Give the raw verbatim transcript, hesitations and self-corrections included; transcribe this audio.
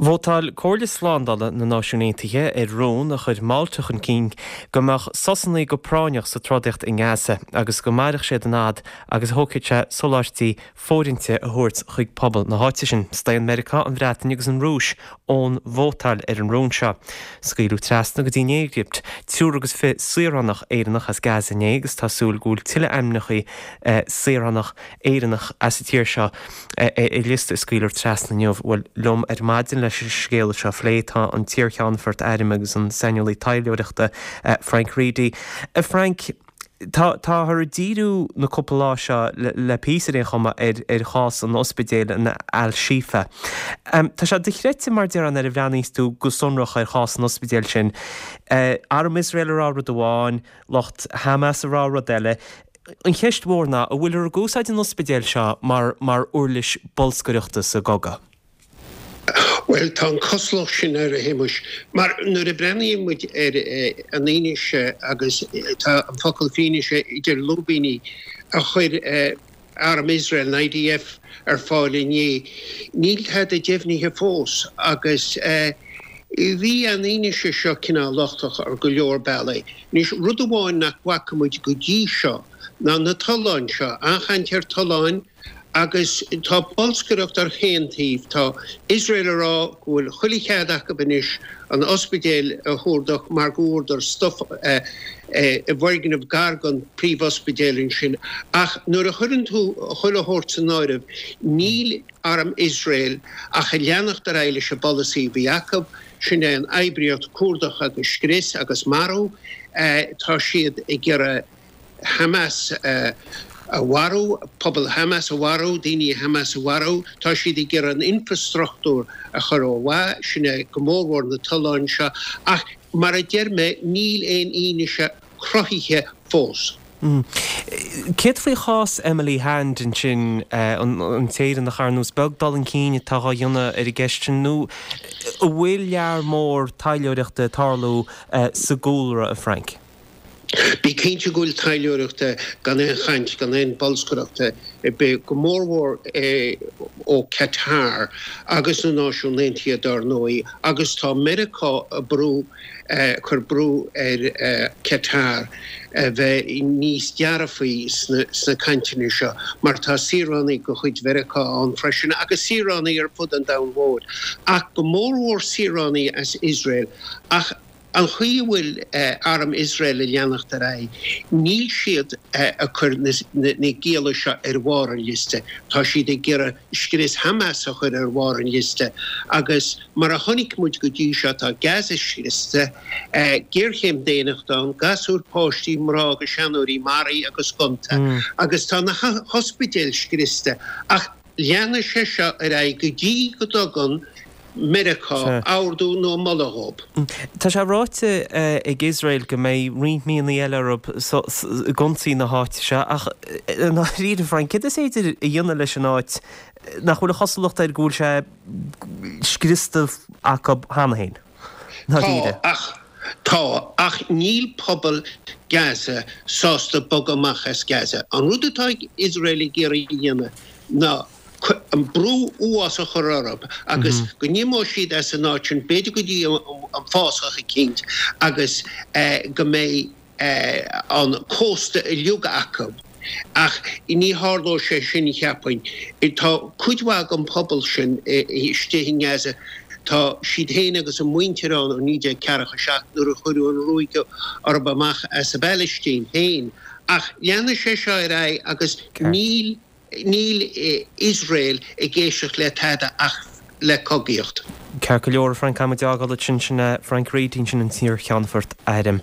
Vótáil Comhairle Slándála na Náisiún Aontaithe ar rún a chuir Málta chun cinn go mbeadh sosanna go práinneach sa trodaíocht i nGaza agus go mairfeadh siad an fhad agus a thógfaidh sé soláthairtí fóirithinte a thabhairt chuig pobal na háite sin. Staon Meiriceá, an Bhreatain agus an Rúis ón vótáil ar an rún seo. Scaoileadh trasna go dtí an Éigipt, triúr agus fiche saoránach Éireannach as Gaza inné agus tá súil go bhfuil tuilleadh ainmneacha saoránach Éireannach as an tír seo ar liosta a scaoilfear trasna inniu. Bhuel liom ar maidin leis an scéal seo a phlé tá an t-iarcheannfort airm agus an saineolaí taidhleoireachta Frank Reidy. Frank, tá táthar ag díriú na cúpla lá seo le píosa ar aon chuma ar ar chás an ospidéil in Al-Shifa. Tá sé dochreidte mar déarfá nuair a bhreathnaíos tú go sonrach ar chás an ospidéil sin. Arm Iosrael ag rá rud amháin, lucht Hamas ag rá rud eile. An cheist mhór ná, an bhfuiltear ag úsáid an ospidéil seo mar mar uirlis bolscaireachta sa gcogadh? Bhuel, tá an chosúlacht sin air, a Shéamuis, mar nuair a bhreathnaíonn muid ar an fhianaise, agus tá an focal fianaise idir lúibíní, a chuir Arm Iosrael, an I D F, ar fáil inné, níl tada deimhnithe fós agus bhí an fhianaise seo cineál lochtach ar go leor bealaí. Anois, rud amháin nach bhfaca muid go dtí seo ná na tolláin seo, an-chaint ar tolláin, Agus tá bolscaireacht ar chaon taobh. Tá Iosrael ag rá go bhfuil chuile chead acu anois an ospidéal a chuardach mar go bhfuaireadar stuif i bhfoirgneamh gar don príomhospidéal ansin. Ach nuair a chuireann tú chuile shórt san áireamh, níl arm Iosrael ach ag leanacht ar aghaidh leis an bpolasaí a bhí acu, sin é an oibríocht cuardach agus scrios agus marú. Tá siad ag iarraidh Hamas a mharú, pobal Hamas a mharú, daoine Hamas a mharú. Tá siad ag iarraidh an infreastruchtúr a chur ó mhaith, sin é go mórmhór na tolláin seo. Ach mar a deir mé, níl aon fhianaise cruthaithe fós. Céard faoi chás Emily Hand ansin, an tÉireannach, ar nós beag dul chun cinn atá á dhéanamh ar an gceist sin nó an bhfuil lear mór taidhleoireachta ag tarlú sa gcúlra, a Frank? Bí cinnte go bhfuil taidhleoireacht gan aon chaint, gan aon bolscaireacht ar bith, go mórmhór ó Qatar agus na Náisiúin Aontaithe dár ndóigh, agus tá Meiriceá ag brú, cur brú ar Qatar a bheith níos dearfaí sna cainteanna seo mar tá saoránaigh de chuid Mheiriceá ann freisin agus saoránaigh ar fud an domhain mhóir, ach go mórmhór saoránaigh as Iosrael. Ach an chaoi a bhfuil arm Iosrael ag leanacht ar aghaidh, níl siad ag cur na gialla seo ar bharr an liosta. Tá siad ag iarraidh scrios Hamas a chur ar bharr an liosta agus mar a chonaic muid go dtí seo, tá Gaza scriosta, géarchéim daonnachta ann, gasúir, páistí, mná agus seanóirí maraithe agus gonta agus tá na hospidéil scriosta. Ach leanfaidh sé seo ar aghaidh go dtí go dtugann Meiriceá ordú nó moladh dhób. Tá sé ráite ag Iosrael go mbeidh roinnt míonna eile orthu ag ionsaí na háite seo ach i ndáiríre, Frank, céard is féidir a dhéanamh leis an áit nach bhfuil an chosúlacht air go bhfuil sé scriosta acu cheana féin? Tá, ach tá, ach níl pobal Gaza sásta bogadh amach as Gaza. An rud atá Iosrael ag iarraidh a dhéanamh ná an brú uafásach a chur orthu agus go n-imeoidh siad as an áit sin, b'fhéidir go dtí an fásach eicínt agus go mbeidh an cósta uilig acu. Ach ní tharlóidh sé sin, cheapfainn. Tá cuid mhaith den phobal sin istigh i nGaza, tá siad féin agus a muintir ann ó naoi déag ceathracha seacht nuair a cuireadh an ruaig orthu amach as an bPalaistín féin. Ach leanfaidh sé seo ar aghaidh agus níl Níl Iosrael ag éisteacht le tada ach le cogaíocht. Ceart go leor, a Frank, caithfidh muid a fhágáil ansin. Sin é Frank Reidy, sin an t-iarcheannfort airm.